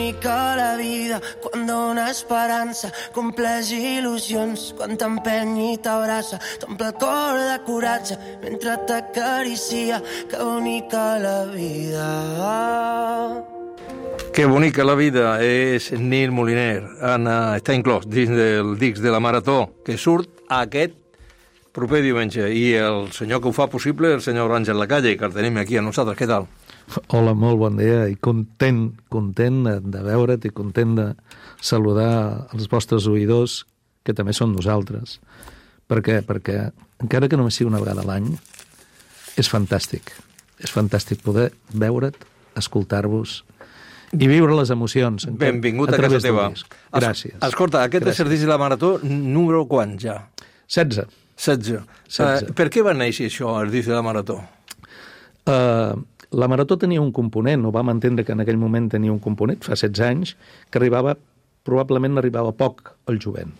bonica la vida quan dona esperança, compleix il·lusions quan t'empeny i t'abraça, t'omple el cor de coratge mentre t'acaricia. Que bonica la vida. Que bonica la vida és Nil Moliner. Està inclòs dins del disc de la Marató, que surt aquest proper diumenge. I el senyor que ho fa possible, el senyor Àngel Lacalle, que el tenim aquí a nosaltres. Què tal? Hola, molt bon dia, i content de veure't i content de saludar els vostres oïdors, que també són nosaltres. Per què? Perquè, encara que només sigui una vegada a l'any, és fantàstic. És fantàstic poder veure't, escoltar-vos i viure les emocions. Benvingut a casa teva. Gràcies. Escolta, aquest és el disc de la Marató número quant ja? 16. 16. Per què va néixer això, el disc de la Marató? La Marató tenia un component, ho vam entendre que en aquell moment tenia un component, fa 16 anys, que probablement arribava poc al jovent.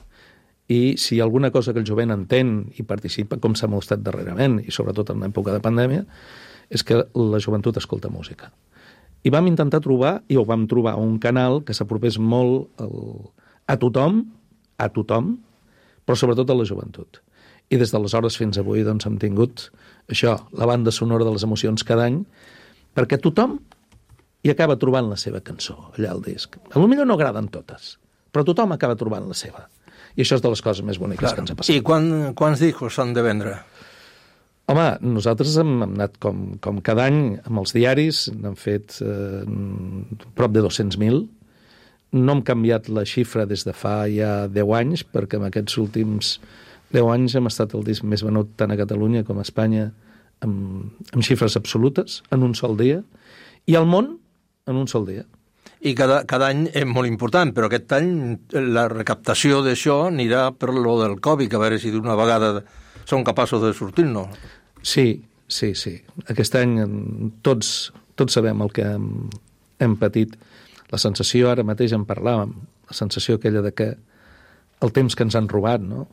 I si hi ha alguna cosa que el jovent entén i participa, com s'ha mostrat darrerament, i sobretot en l'època de pandèmia, és que la joventut escolta música. I vam intentar trobar, i ho vam trobar, un canal que s'apropés molt a tothom, però sobretot a la joventut. I des d'aleshores fins avui doncs, hem tingut això, la banda sonora de les emocions cada any, perquè tothom hi acaba trobant la seva cançó allà al disc. Potser no agraden totes, però tothom acaba trobant la seva. I això és de les coses més boniques que ens ha passat. I quants discos s'han de vendre? Home, nosaltres hem anat com cada any amb els diaris, n'hem fet prop de 200.000. No hem canviat la xifra des de fa ja 10 anys, perquè en aquests últims 10 anys hem estat el disc més venut tant a Catalunya com a Espanya amb xifres absolutes, en un sol dia, i al món en un sol dia. I cada any és molt important, però aquest any la recaptació d'això anirà per lo del Covid, a veure si d'una vegada són capaços de sortir-nos. Sí. Aquest any tots sabem el que hem patit. La sensació, ara mateix en parlàvem, la sensació aquella de que el temps que ens han robat, no?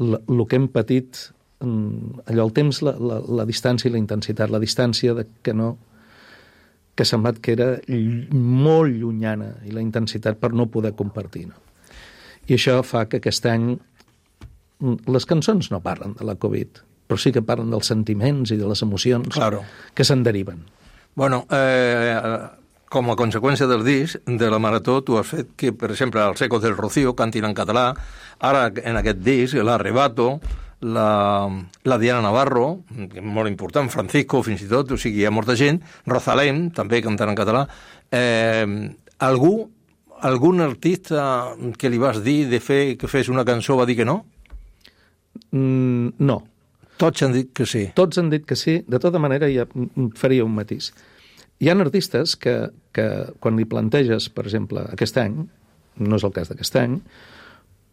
El que hem patit, allò, el temps, la distància i la intensitat, la distància de que semblat que era molt llunyana, i la intensitat per no poder compartir, no? I això fa que aquest any les cançons no parlen de la Covid, però sí que parlen dels sentiments i de les emocions que se'n deriven. Bueno, com a conseqüència del disc, de la Marató, tu has fet que, per exemple, els Ecos del Rocío cantin en català, ara en aquest disc, l'Arrebato, la Diana Navarro, que és molt important, Francisco, fins i tot, o sigui, hi ha molta gent, Rosalén, també cantant en català. Algun artista que li vas dir que fes una cançó va dir que no? No. Tots han dit que sí. Tots han dit que sí. De tota manera, ja faria un matís. Hi ha artistes que quan li planteges, per exemple, aquest any, no és el cas d'aquest any,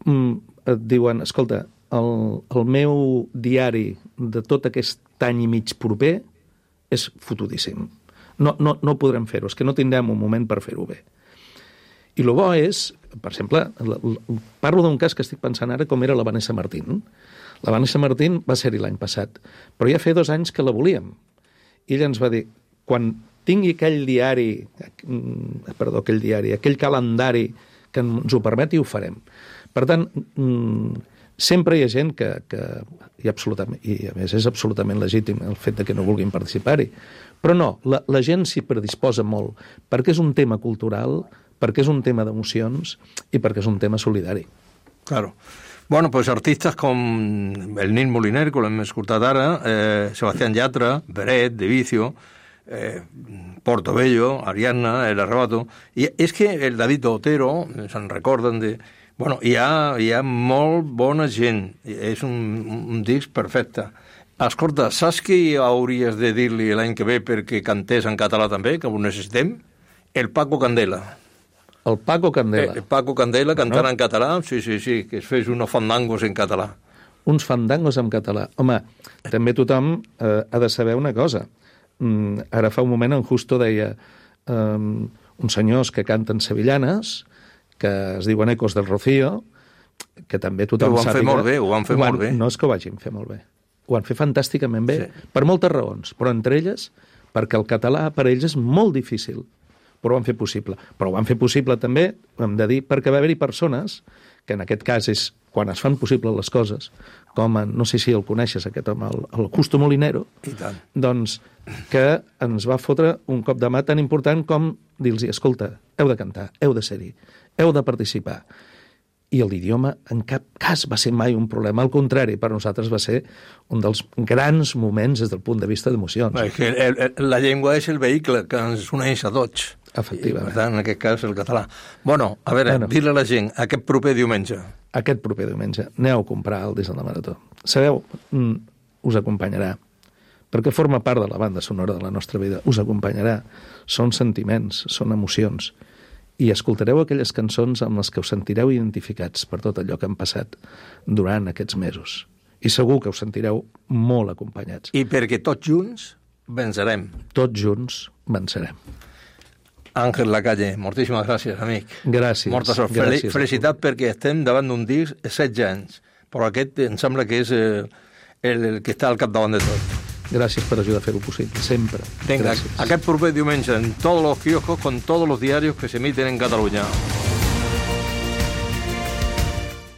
et diuen, escolta, el meu diari de tot aquest any i mig proper és fotudíssim. No podrem fer-ho, és que no tindrem un moment per fer-ho bé. I el bo és, per exemple, parlo d'un cas que estic pensant ara, com era la Vanessa Martín. La Vanessa Martín va ser-hi l'any passat, però ja feia 2 anys que la volíem. I ella ens va dir, quan tingui aquell calendari que ens ho permeti, ho farem. Per tant, sempre hi ha gent que i a més és absolutament legítim el fet de que no vulguin participar-hi. Però no, la gent s'hi predisposa molt, perquè és un tema cultural, perquè és un tema d'emocions i perquè és un tema solidari. Claro. Bueno, pues artistas com el Nil Moliner, que l'hem escoltat ara, Sebastián Yatra, Beret, De Vicio, Portobello, Ariadna, El Arrebato, i és que el David Otero, se'n recorden de... Bueno, hi ha molt bona gent, és un disc perfecte. Escolta, saps què hauries de dir-li l'any que ve perquè cantés en català també, que ho necessitem? El Paco Candela. El Paco Candela. El Paco Candela cantant en català, sí, que es fes unos fandangos en català. Uns fandangos en català. Home, també tothom ha de saber una cosa. Ara fa un moment en Justo deia uns senyors que canten sevillanes, que es diuen Ecos del Rocío, que també tothom sàpiga... Ho van fer molt bé. No és que ho vagin fer molt bé. Ho van fer fantàsticament bé, sí. Per moltes raons, però entre elles, perquè el català per ells és molt difícil. però ho van fer possible. Però ho van fer possible també, hem de dir, perquè va haver-hi persones, que en aquest cas és quan es fan possibles les coses, com, no sé si el coneixes, aquest home, el Justo Molinero, I tant. doncs que ens va fotre un cop de mà tan important com dir-los, escolta, heu de cantar, heu de ser-hi, heu de participar. I l'idioma en cap cas va ser mai un problema. Al contrari, per nosaltres va ser un dels grans moments des del punt de vista d'emocions. És que la llengua és el vehicle que ens uneix a tots. Efectivament. I, per tant, en aquest cas, el català. Bueno, a veure, dir-li a la gent, aquest proper diumenge. Aquest proper diumenge, aneu a comprar el disc de la Marató. Sabeu, us acompanyarà, perquè forma part de la banda sonora de la nostra vida. Us acompanyarà. Són sentiments, són emocions. I escoltareu aquelles cançons amb les que us sentireu identificats per tot allò que han passat durant aquests mesos. I segur que us sentireu molt acompanyats. I perquè tots junts vencerem. Tots junts vencerem. Àngel Lacalle, moltíssimes gràcies, amic. Gràcies. Molta sort. Felicitat perquè estem davant d'un disc 16 anys, però aquest em sembla que és el que està al capdavant de tot. Gracias por ayudar a hacerlo posible, siempre. Venga, Gracias. aquest proper diumenge en todos los kioscos con todos los diarios que se emiten en Cataluña.